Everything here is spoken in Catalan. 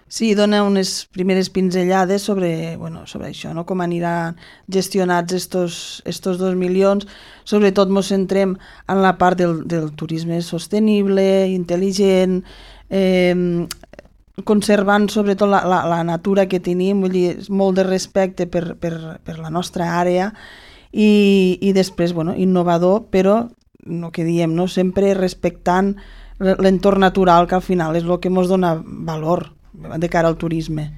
Sí, dona unes primeres pinzellades sobre això, no? Com aniran gestionats estos 2 milions. Sobretot ens centrem en la part del turisme sostenible, intel·ligent, conservant sobretot la natura que tenim, vull dir, molt de respecte per la nostra àrea i després, innovador, però el que diem, no? Sempre respectant l'entorn natural, que al final és el que ens dona valor de cara al turisme.